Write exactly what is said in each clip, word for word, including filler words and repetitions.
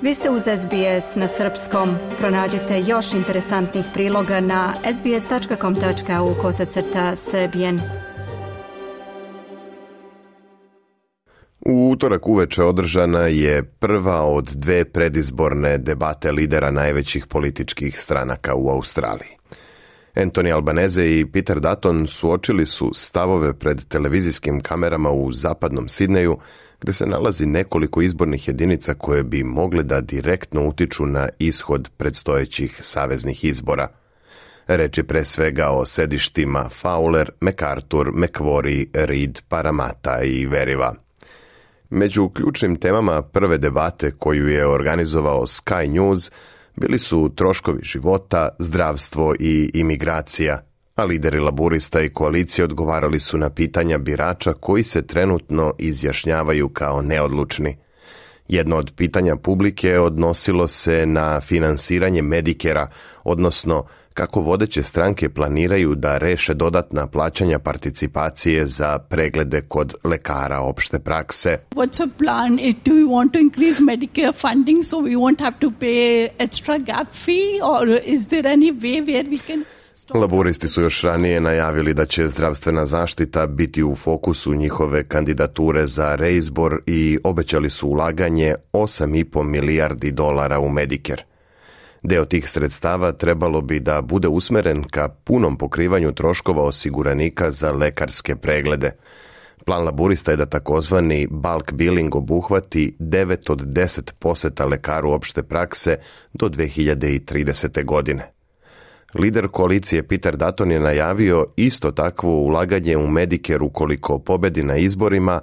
Vi ste uz S B S na srpskom. Pronađite još interesantnih priloga na sbs.com.au kosacrta srbijen. U utorak uveče održana je prva od dve predizborne debate lidera najvećih političkih stranaka u Australiji. Anthony Albanese i Peter Dutton suočili su stavove pred televizijskim kamerama u zapadnom Sidneju, gde se nalazi nekoliko izbornih jedinica koje bi mogle da direktno utiču na ishod predstojećih saveznih izbora. Reč je pre svega o sedištima Fowler, MacArthur, Macquarie, Reid, Parramatta i Veriva. Među ključnim temama prve debate koju je organizovao Sky News bili su troškovi života, zdravstvo i imigracija, a lideri laburista i koalicije odgovarali su na pitanja birača koji se trenutno izjašnjavaju kao neodlučni. Jedno od pitanja publike odnosilo se na finansiranje Medicare-a, odnosno kako vodeće stranke planiraju da reše dodatna plaćanja participacije za preglede kod lekara opšte prakse. What's a plan? Do we want to increase Medicare funding so we won't have to pay extra gap fee, or is there any way where we can... Laburisti su još ranije najavili da će zdravstvena zaštita biti u fokusu njihove kandidature za reizbor i obećali su ulaganje osam i po milijardi dolara u Medicare. Deo tih sredstava trebalo bi da bude usmeren ka punom pokrivanju troškova osiguranika za lekarske preglede. Plan laburista je da takozvani bulk billing obuhvati devet od deset poseta lekaru opšte prakse do dve hiljade tridesete. godine. Lider koalicije Peter Dutton je najavio isto takvo ulaganje u Medicare ukoliko pobedi na izborima,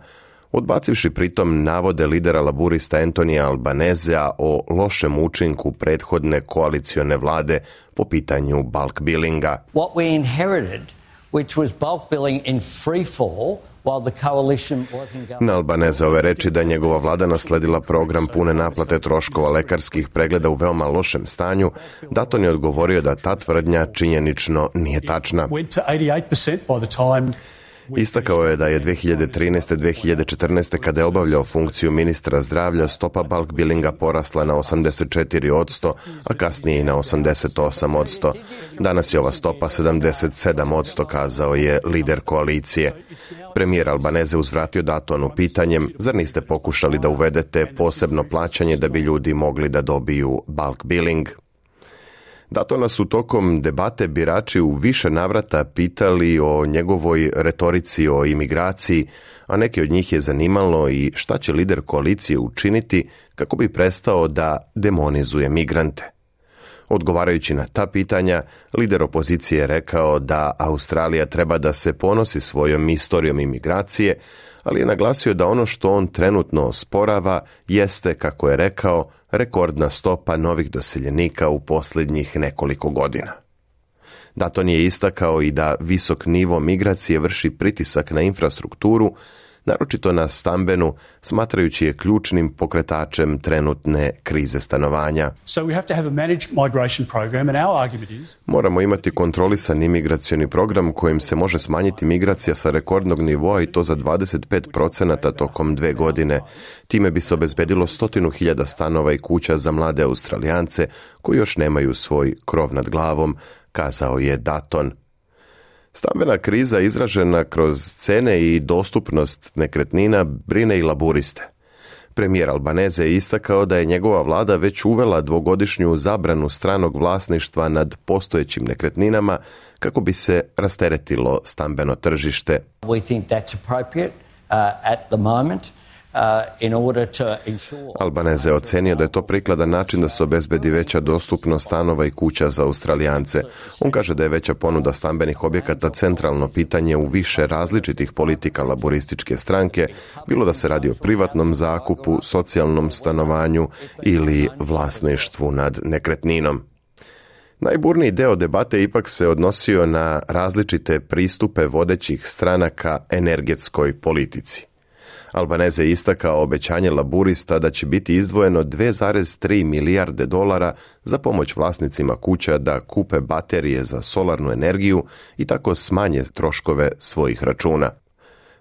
odbacivši pritom navode lidera laburista Anthonyja Albanesea o lošem učinku prethodne koalicione vlade po pitanju bulk billinga. What we inherited, which was bulk billing in free fall, while the coalition wasn't going... Na Albaneseove reči da njegova vlada nasledila program pune naplate troškova lekarskih pregleda u veoma lošem stanju, Dutton je odgovorio da ta tvrdnja činjenično nije tačna. Istakao je da je dve hiljade trinaeste. dve hiljade četrnaeste. kada je obavljao funkciju ministra zdravlja, stopa bulk billinga porasla na osamdeset četiri posto, a kasnije i na osamdeset osam posto. Danas je ova stopa sedamdeset sedam posto, kazao je lider koalicije. Premijer Albanese uzvratio Duttonu pitanjem, zar niste pokušali da uvedete posebno plaćanje da bi ljudi mogli da dobiju bulk billing? Duttona su tokom debate birači u više navrata pitali o njegovoj retorici o imigraciji, a neki od njih je zanimalo i šta će lider koalicije učiniti kako bi prestao da demonizuje migrante. Odgovarajući na ta pitanja, lider opozicije je rekao da Australija treba da se ponosi svojom istorijom imigracije, ali je naglasio da ono što on trenutno osporava jeste, kako je rekao, rekordna stopa novih doseljenika u posljednjih nekoliko godina. Dutton je istakao i da visok nivo migracije vrši pritisak na infrastrukturu, naročito na stambenu, smatrajući je ključnim pokretačem trenutne krize stanovanja. So we have to have a managed migration program, and our argument is... Moramo imati kontrolisan imigracioni program kojim se može smanjiti migracija sa rekordnog nivoa i to za dvadeset pet procenata tokom dve godine. Time bi se obezbedilo stotinu hiljada stanova i kuća za mlade Australijance koji još nemaju svoj krov nad glavom, kazao je Dutton. Stambena kriza izražena kroz cene i dostupnost nekretnina brine i laburiste. Premijer Albanese je istakao da je njegova vlada već uvela dvogodišnju zabranu stranog vlasništva nad postojećim nekretninama kako bi se rasteretilo stambeno tržište. We think that's appropriate uh, at the moment. Uh, in order to ensure... Albanese je ocenio da je to prikladan način da se obezbedi veća dostupnost stanova i kuća za Australijance. On kaže da je veća ponuda stambenih objekata centralno pitanje u više različitih politika laborističke stranke, bilo da se radi o privatnom zakupu, socijalnom stanovanju ili vlasništvu nad nekretninom. Najburniji deo debate ipak se odnosio na različite pristupe vodećih stranaka energetskoj politici. Albanese je istakao obećanje laburista da će biti izdvojeno dve zarez tri milijarde dolara za pomoć vlasnicima kuća da kupe baterije za solarnu energiju i tako smanje troškove svojih računa.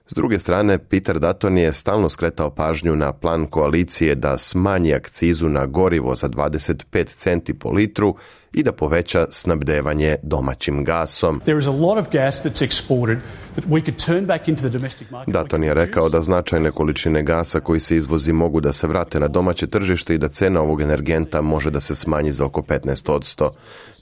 S druge strane, Peter Dutton je stalno skretao pažnju na plan koalicije da smanji akcizu na gorivo za dvadeset pet centi po litru i da poveća snabdevanje domaćim gasom. Dutton je rekao da značajne količine gasa koji se izvozi mogu da se vrate na domaće tržište i da cena ovog energenta može da se smanji za oko petnaest posto.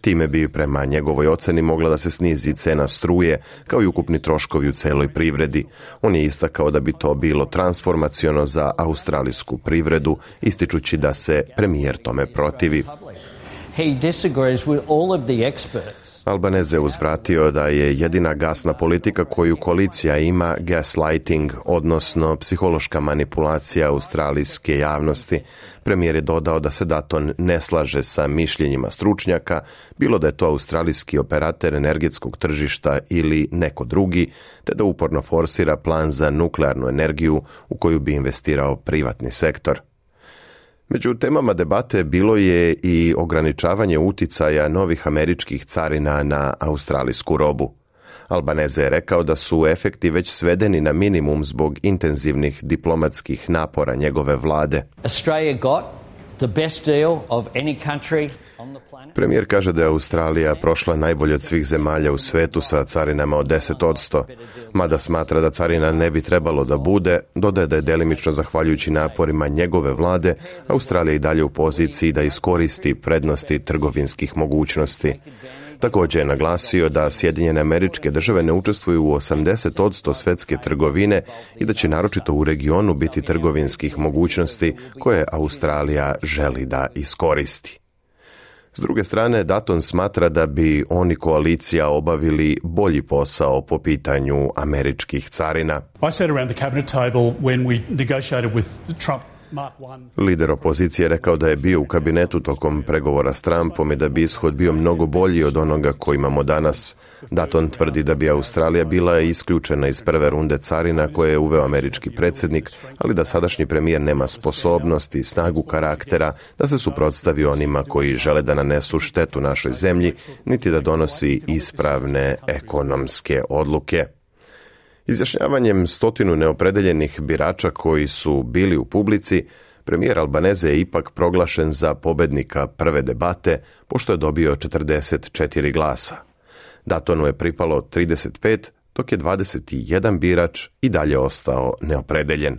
Time bi prema njegovoj oceni mogla da se snizi cena struje, kao i ukupni troškovi u celoj privredi. On je istakao da bi to bilo transformaciono za australijsku privredu, ističući da se premijer tome protivi. He disagrees with all of the experts. Albanese je uzvratio da je jedina gasna politika koju koalicija ima gaslighting, odnosno psihološka manipulacija australijske javnosti. Premijer je dodao da se Dutton ne slaže sa mišljenjima stručnjaka, bilo da je to australijski operater energetskog tržišta ili neko drugi, te da uporno forsira plan za nuklearnu energiju u koju bi investirao privatni sektor. Među temama debate bilo je i ograničavanje uticaja novih američkih carina na australijsku robu. Albanese je rekao da su efekti već svedeni na minimum zbog intenzivnih diplomatskih napora njegove vlade. Australia got the best deal of any country on the planet. Premijer kaže da je Australija prošla najbolje od svih zemalja u svetu sa carinama od deset posto. Mada smatra da carina ne bi trebalo da bude, dodaje da je delimično zahvaljujući naporima njegove vlade, Australija i dalje u poziciji da iskoristi prednosti trgovinskih mogućnosti. Također je naglasio da Sjedinjene Američke Države ne učestvuju u osamdeset posto svetske trgovine i da će naročito u regionu biti trgovinskih mogućnosti koje Australija želi da iskoristi. S druge strane, Dutton smatra da bi oni koalicija obavili bolji posao po pitanju američkih carina. I sat around the cabinet table when we negotiated with Trump. Lider opozicije je rekao da je bio u kabinetu tokom pregovora s Trumpom i da bi ishod bio mnogo bolji od onoga koji imamo danas. Dutton tvrdi da bi Australija bila isključena iz prve runde carina koje je uveo američki predsjednik, ali da sadašnji premijer nema sposobnost i snagu karaktera da se suprotstavi onima koji žele da nanesu štetu našoj zemlji, niti da donosi ispravne ekonomske odluke. Izjašnjavanjem stotinu neopredeljenih birača koji su bili u publici, premijer Albanese je ipak proglašen za pobednika prve debate, pošto je dobio četrdeset četiri glasa. Duttonu je pripalo trideset pet, dok je dvadeset jedan birač i dalje ostao neopredeljen.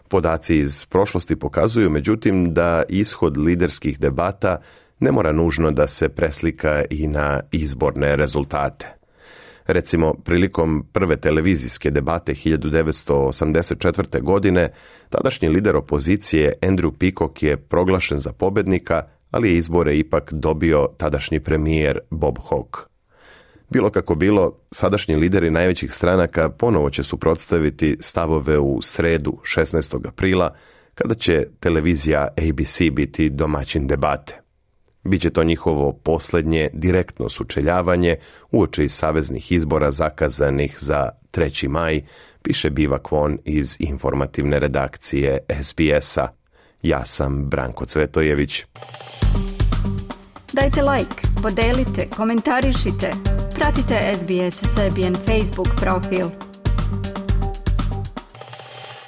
Podaci iz prošlosti pokazuju, međutim, da ishod liderskih debata ne mora nužno da se preslika i na izborne rezultate. Recimo, prilikom prve televizijske debate hiljadu devetsto osamdeset četvrte. godine, tadašnji lider opozicije Andrew Peacock je proglašen za pobednika, ali je izbore ipak dobio tadašnji premijer Bob Hawke. Bilo kako bilo, sadašnji lideri najvećih stranaka ponovo će suprotstaviti stavove u sredu šesnaestog aprila, kada će televizija A B C biti domaćin debate. Biće to njihovo posljednje direktno sučeljavanje uoči saveznih izbora zakazanih za treći maj, piše Biva Kwon iz informativne redakcije S B S-a. Ja sam Branko Cvetojević. Dajte like, podelite, komentarišite, pratite S B S Serbian Facebook profil.